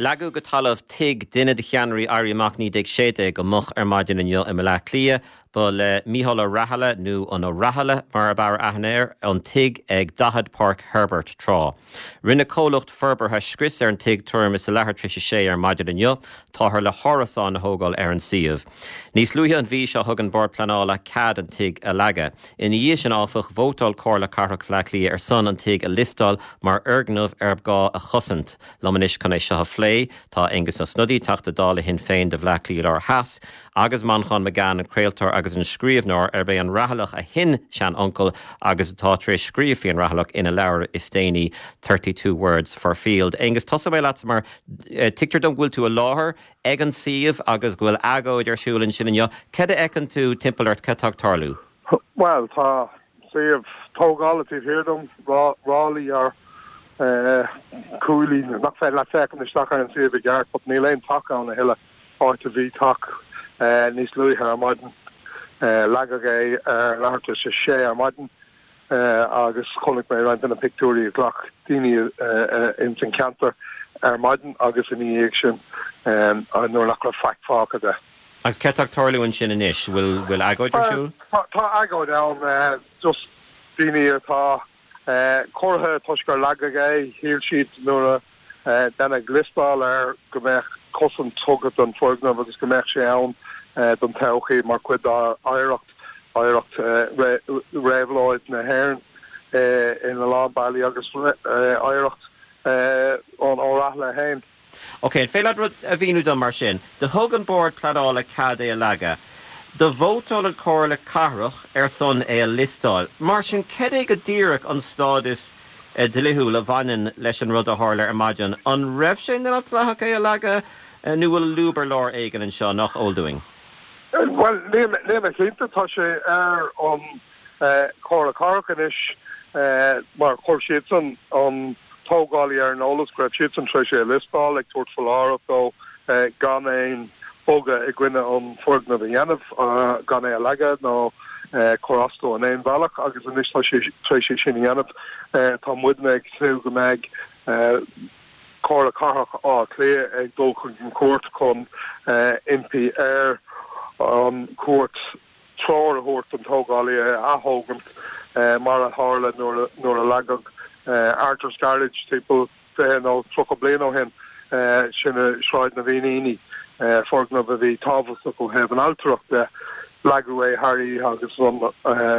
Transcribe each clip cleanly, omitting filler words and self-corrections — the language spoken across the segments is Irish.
Leagadh go talamh tigh duine de cheannairí Éirí Amach 1916 go moch ar maidin inniu i mBaile Átha Cliath. Ba le Mícheál Ó Rathaille, nó an Ó Rathaille mar ab fhearr aithne air, an tigh ag 40 Páirc Herbert tráth. Rinne comhlacht forbartha scrios ar an tigh tuairim is a leathuair tar éis a sé ar maidin inniu. Táthar le hárasáin a thógáil ar an suíomh. Níos luaithe an mhí seo thug an Bord Pleanála cead an tigh a leagadh. Ina dhiaidh sin, áfach, vótáil Comhairle Cathrach Bhaile Átha Cliath ar son an tigh a liostáil mar fhoirgneamh arb gá a chosaint. Liom anois chun é seo a phlé, tá Aengus Ó Snodaigh, Teachta Dála Shinn Féin do Bhaile Átha Cliath Láir Theas, agus Manchán Magan, an craoltóir agus an scríbhneoir, arb é an Rathailleach a shin-sean-uncail agus atá tar éis scríobh faoi an Rathailleach ina leabhar is déanaí, 32 Words for Field. Aengus, tosóidh mé leatsa mar tuigtear dom go bhfuil tú i láthair ag an suíomh agus go bhfuil agóid ar siúl ansin inniu. Cad a fheiceann tú timpeall ort? Cad tá ag tarlú? Bhuel, tá suíomh tógála taobh thiar dom, ráillí ar cuaillí nach féidir leat féachaint isteach ar an suíomh i gceart, but níl aon teach ann a thuilleadh, áit a bhí teach níos luaithe ar maidin. Leagadh é ar leathuair tar éis a sé ar maidin. agus chonaic mé roinnt de na pictiúirí a ghlac daoine ins an cheantar ar maidin agus ina dhiaidh sin nuair nach raibh faic fágtha de. Agus cad tá ag tarlú ansin anois? Bhfuil bhfuil agóid ar siúl? Tá agóid ann, just daoine atá corraithe toisc gur leagadh é, shíl siad nuair a Deineadh liostáil air go mbeadh cosaint tugtha don foirgneamh agus go mbeadh sé ann don todhchaí mar chuid dár oidhreacht, oidhreacht réabhlóid na hÉireann ina lán bealaí agus oidhreacht an Ó Rathaille féin. Ok, an féidir leat rud a mhíniú dom mar sin? Do thug an Bord Pleanála cead é a leagadh. Do vótáil an Comhairle Cathrach ar son é a liostáil. Mar sin, cad é go díreach an stádas dlíthiúil a bhaineann leis an rud a tharla ar maidin. An raibh sé neamhdhleathach é a leagadh nó bhfuil lúb ar lár éigin anseo nach eol dúinn? Bhuel, níl mé cinnte. Tá sé ar an Chomhairle Cathrach anois mar chuir siadsan an tógálaí ar an eolas go raibh siadsan tar éis é a liostáil, ag tabhairt foláireamh dó gan aon bogadh i gcoinne an foirgneamh a dhéanamh, gan é a leagadh nó cur as dó in aon bhealach agus anois tá sé tar éis é sin a dhéanamh. Tá muidne ag tnúth go mbeidh Comhairle Cathrach Átha Cliath ag dul chuig an chúirt chun impí ar an chúirt treoir a thabhairt don tógálaí é a ath-thógaint mar a tharla nuair a leagadh Arthur's Garage timpeall 20 nó 30 bliain ó shin, sin i Sráid na bhFíníní, foirgneamh a bhí tábhachtach ó thaobh an ailtireacht de. Leagadh é thar oíche agus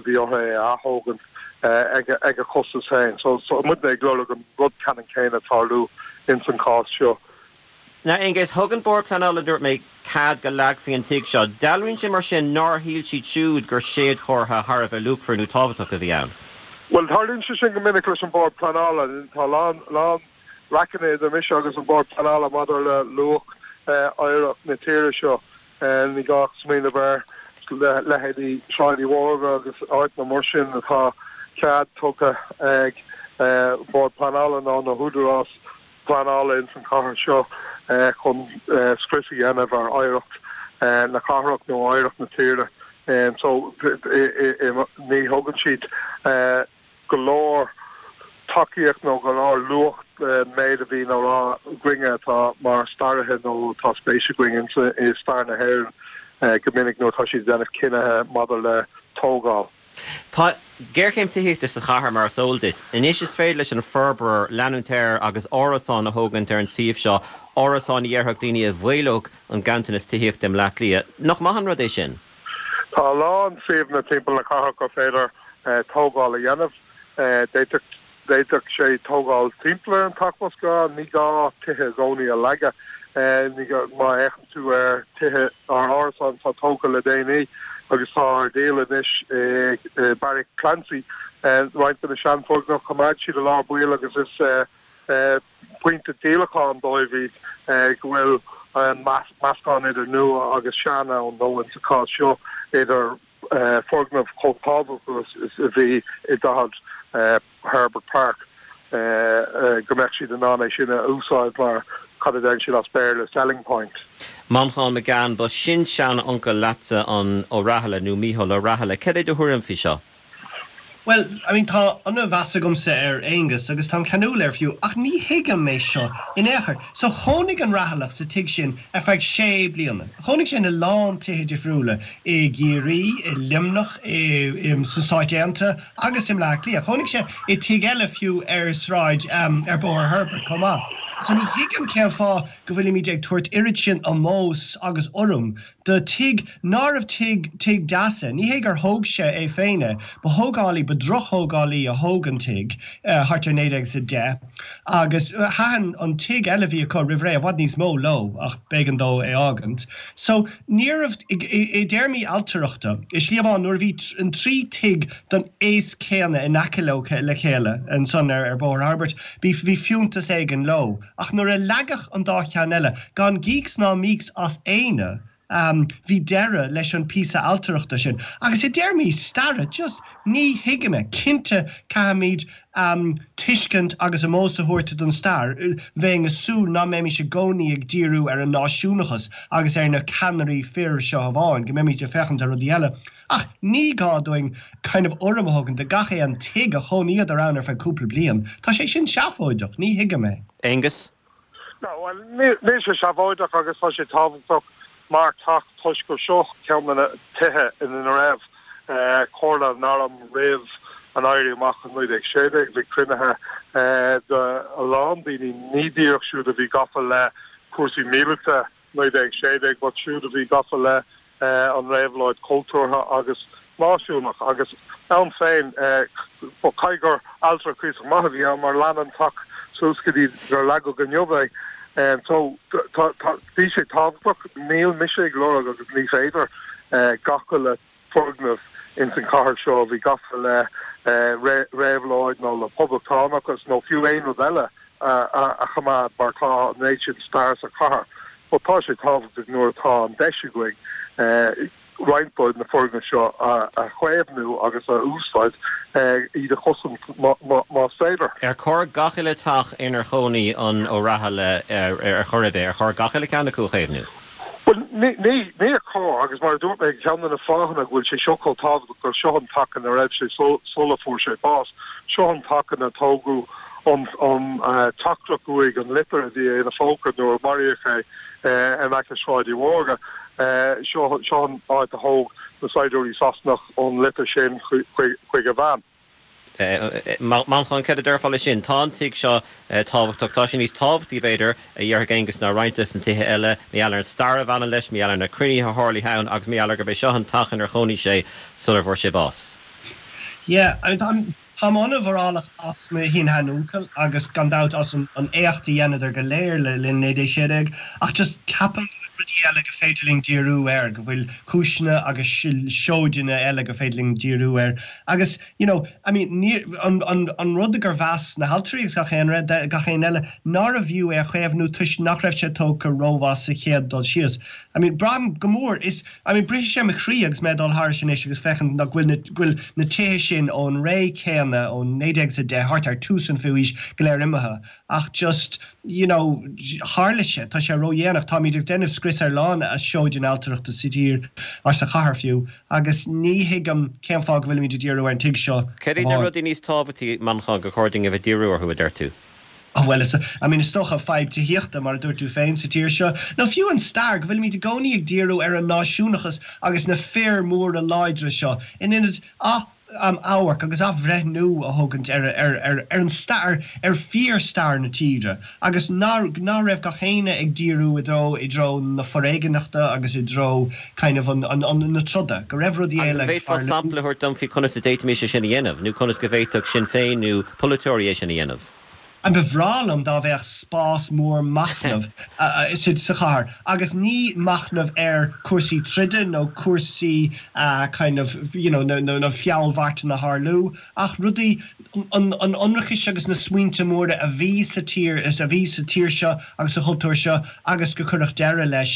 bhí orthu é a ath-thógaint ag a chostas féin. So tá muidne ag lorg an rud ceannann céanna tarlú ins an chás seo. Now, Aengus, thug an Bord Pleanála, dúirt mé, cead go leagfaí an tigh seo. Dealraíonn sé mar sin nár shíl siad siúd gur séadchomhartha thar a bheith luachmhar nó tábhachtach a bhí ann. Bhuel, tarlaíonn sé sin go minic leis an Bord Pleanála. Tá a lán, lán raiceanna idir mise agus an Bord Pleanála maidir le luach oidhreacht na tíre seo. Ní gá ach smaoineamh ar leithéidí Sráid Uí Mhórdha agus áiteanna mar sin atá cead tugtha ag Bord Pleanála nó na húdaráis pleanála ins an chathair seo chun scrios a dhéanamh ar oidhreacht na cathrach nó oidhreacht na tíre. So ní thugann siad go leor tacaíocht nó go leor luach don méid a bhíonn á rá againne atá mar staraithe nó atá spéis againn i stair na hÉireann go minic nuair atá siad ag déanamh cinnithe maidir le tógáil. Tá géarchéim tithíochta sa chathair, mar is eol duit. Anois is féidir leis an forbróir leanúint air agus árasáin a thógaint ar an suíomh seo, árasáin a dhéarfadh daoine a mhaolódh an ganntanas tithíochta i mBleá Cliath. Nach maith an rud é sin? Tá a lán suíomhanna timpeall na cathrach gur féidir tógáil a dhéanamh. D'fhéadfadh D'fhéadfadh sé tógáil timpeall ar an teach más gá. Ní gá tithe i gcónaí a leagadh. Ní gá, má fhéachann tú ar tithe, ar árasáin atá tógtha le déanaí agus atá ar díol anois i Beairic Clancy, roinnt de na seanfhoirgnimh, choimeád siad i lár baill agus is pointe díolacháin dóibh iad go bhfuil meascán idir nua agus sean ann, nó in sa chás seo idir foirgneamh chomh tábhachtach is a bhí i 40 Herbert Park, go mbeadh siad in ann é sin a úsáid mar, cad a deireann siad as Béarla, selling point. Manchán Magan, Ba sin-sean-uncail leatsa an Ó Rathaille nó Mícheál Ó Rathaille. Cad é do thuairim faoi seo? Bhuel, I mean, tá an-mheas agamsa ar Aonghus agus táim ceanúil air fiú, ach ní thuigim é seo in aon chor. So chónaigh an Rathailleach sa tigh sin ar feadh sé bliana. Chónaigh sé ina lán tithe difriúla, i gCiarraí, i Luimneach, i, sna Stáit Aontaithe agus i mBleá Cliath. Chónaigh sé i tigh eile fiú ar sráid, ar Bhóthar Herbert chomh maith. So ní thuigim cén fáth go bhfuilimid ag tabhairt oiread sin ómóis agus urraim do tigh nárbh tigh tigh deas é. Ní hé gur thóg sé é féin é, ba thógálaí, ba dhrochthógálaí a thóg an tigh thart ar 1910 agus thaitin an tigh eile a bhí acu roimh ré i bhfad níos mó leo ach b'éigean dó é fhágaint. So níorbh, i dtéarmaí ailtireachta, i slí amháin nuair a bhí an trí tigh den aos céanna in aice leo le chéile ansan ar Bhóthar Herbert, bhí bhí fiúntas éigin leo. Ach nuair a leagadh an dá cheann eile, gan gícs ná mícs as éinne, bhí deireadh leis an píosa ailtireachta sin. Agus i dtéarmaí staire, just ní thuigim é. Cinnte, caithfimid tuiscint agus ómós a thabhairt don stair. Bheinn ag súil ná mbeimis i gcónaí ag díriú ar an náisiúnachas agus ar na ceannairí fir seo amháin, go mbeimid ag féachaint ar rudaí eile. Ach ní gá dúinn kind of urraim a thógaint do gach aon tigh a chónaíodar ann ar feadh cúpla bliain. Tá sé sin seafóideach, ní thuigim é. Aengus? No, bhuel, níl sé seafóideach agus tá sé tábhachtach mar teach toisc gur seo ceann de na tithe ina raibh Comhairle an Airm roimh an Éirí Amach in 1916. Bhí cruinnithe de a lán daoine, ní díreach siúd a bhí gafa le cúrsaí míleata, 1916, but siúd a bhí gafa le an réabhlóid chultúrtha agus náisiúnach agus ann féin caithfidh gur ailtire cuíosach maith a bhí ann mar lean an teach suas go dtí gur leagadh inniu é. So tá, tá, bhí sé tábhachtach, níl mise ag lorg agus ní féidir gach uile foirgneamh ins an chathair seo a bhí gafa le réabhlóid nó le poblachtánachas nó fiú aon rud eile a choimeád mar tá an méid sin stair sa chathair. But tá sé tábhachtach nuair atá an deis againn roinnt de na foirgnimh seo a chaomhnú agus a úsáid, iad a chosaint más féidir. Ar chóir gach uile teach inar chónaigh an Ó Rathaille ar chor ar bith, ar chóir gach uile ceann acu a chaomhnú? Bhuel, ní, níor chóir, agus mar a dúirt mé, ceann de na fáthanna go bhfuil sé seo chomh tábhachtach gur seo an teach ina raibh sé sula fuair sé bás. Seo an teach ina tógadh an teachtaireacht uaidh, an litir a bhí ina phóca nuair a maraíodh é in aice Sráid Uí Mhórdha. Seo an áit a thóg na saighdiúirí Sasanach an litir sin chuig a bhean. Manchán, céard a déarfá leis sin? Tá an tigh seo tábhachtach. Tá sé níos tábhachtaí, b'fhéidir, a déarfadh Aengus, ná roinnt des na tithe eile, mar gheall ar an stair a bhaineann leis, mar gheall ar na cruinnithe a tharlaigh ann agus mar gheall ar gurb é seo an teach inar chónaigh sé sular bhfuair sé bás. Yeah, I mean, táim an-mhórálach as mo shin-sheanuncail agus gan dabht as an éacht a dheineadar go léir le linn 1916 ach just ceapaim go bhfuil rudaí eile go féidir linn díriú air, go bhfuil cúiseanna agus seoideanna eile go féidir linn díriú air agus you know, I mean, ní, an, an, an rud gur mheas na hailtirí agus gach aon, gach aon eile, nárbh fhiú é a chaomhnú toisc nach raibh sé tógtha rómhaith sa chéad dul síos. I mean, braithim go mór, is, I mean, briseann sé mo chroí agus mé ag dul thairis anois agus féachaint nach bhfuil na, go bhfuil na tithe sin ón ré céanna, ón 1910, thart ar tús an fichiú haois, go léir imithe. Ach just, you know, tharla sé, tá sé ródhéanach, táimid ag déanamh scrios ar lán seoideanna ailtireachta sa tír, or sa chathair fiú, agus ní thuigim cén fáth go bhfuilimid ag díriú ar an tigh seo Céard iad na rudaí níos tábhachtaí, Manchán, gur chóir dúinn a bheith ag díriú orthu, a deir tú? Oh bhuel, is, I mean, is dócha fadhb tithíochta, mar a dúirt tú féin, sa tír seo, nó fiú an stair, go bhfuilimid i gcónaí ag díriú ar an náisiúnachas agus na fir mhóra láidre seo, in ionad ath, amharc agus athbhreithniú a thógaint ar ar an stair, ar fíor-stair na tíre agus ná ná raibh gach éinne ag díriú i dtreo i dtreo na foréigineachta agus i dtreo kind of an an an na troda, go raibh rudaí Agus eile an ag bhféadfá tarlú. sampla a thabhairt dom faoi conas a d'fhéadfaimis é sin a dhéanamh, nó conas go bhféadfadh Sinn Féin nó polaiteoirí é sin a dhéanamh? An Ba bhreá liom dá bheadh spás mór machnaimh sa chathair agus ní machnamh ar cúrsaí troda nó cúrsaí kind of you know na feallmharcanna a tharlú ach rudaí an ionracais agus na smaointe móra a bhí sa tír a bhí sa tír seo agus sa chultúr seo agus go cuireadh deireadh leis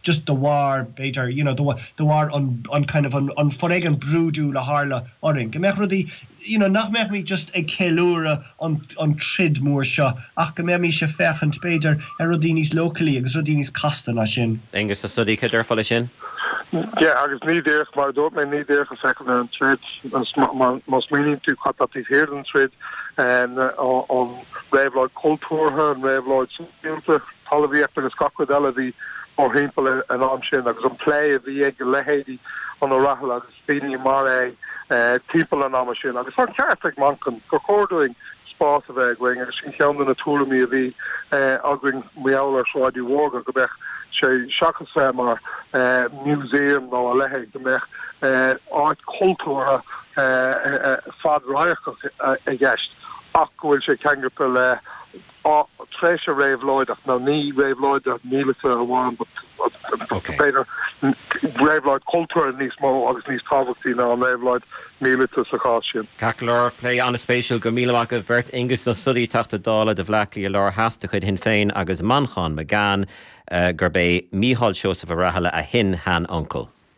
just de bharr b'fhéidir you know de bharr an kind of an foréigean brúidiúil a tharla orainn go mbeadh rudaí you know, nach mbeimid just ag ceiliúradh an, an troid mór seo ach go mbeimis ag féachaint, b'fhéidir, ar rudaí níos leochailí agus rudaí níos casta ná sin. Aengus Ó Snodaigh, cad déarfá leis sin? Yeah, agus ní díreach, mar a dúirt mé, ní díreach a féachaint ar an troid, má smaoiníonn tú cad tá taobh thiar den troid, an réabhlóid chultúrtha, an réabhlóid sóisialta, talmhaíocht agus gach rud eile a bhí mórthimpeall an am sin agus an plé a bhí ag leithéidí an O'Rahilly agus daoine mar é timpeall an ama sin. Agus tá an ceart ag Manchán gur chóir dúinn spás a bheith againn agus sin ceann de na tuairimí a bhí againn mar gheall ar Shráid Uí Mhórdha, go mbeadh sé, seachas bheith mar museum nó a leithéid, go mbeadh áit chultúrtha fad-radharcach i gceist ach go bhfuil sé ceangailte le tréimhse réabhlóideach, nó ní réabhlóid míleata amháin, but b'fhéidir réabhlóid cultúrtha níos mó agus níos tábhachtaí ná an réabhlóid míleata sa chás sin. Ceart go leor, plé an-spéisiúil. Go raibh míle maith agaibh beirt, Aengus Ó Snodaigh, Teachta Dála do Bhleá Cliath Láir Theas de chuid Shinn Féin agus Manchán Magan, gurb é Mícheál Seosamh Ó Rathaille a shin-shean-uncail.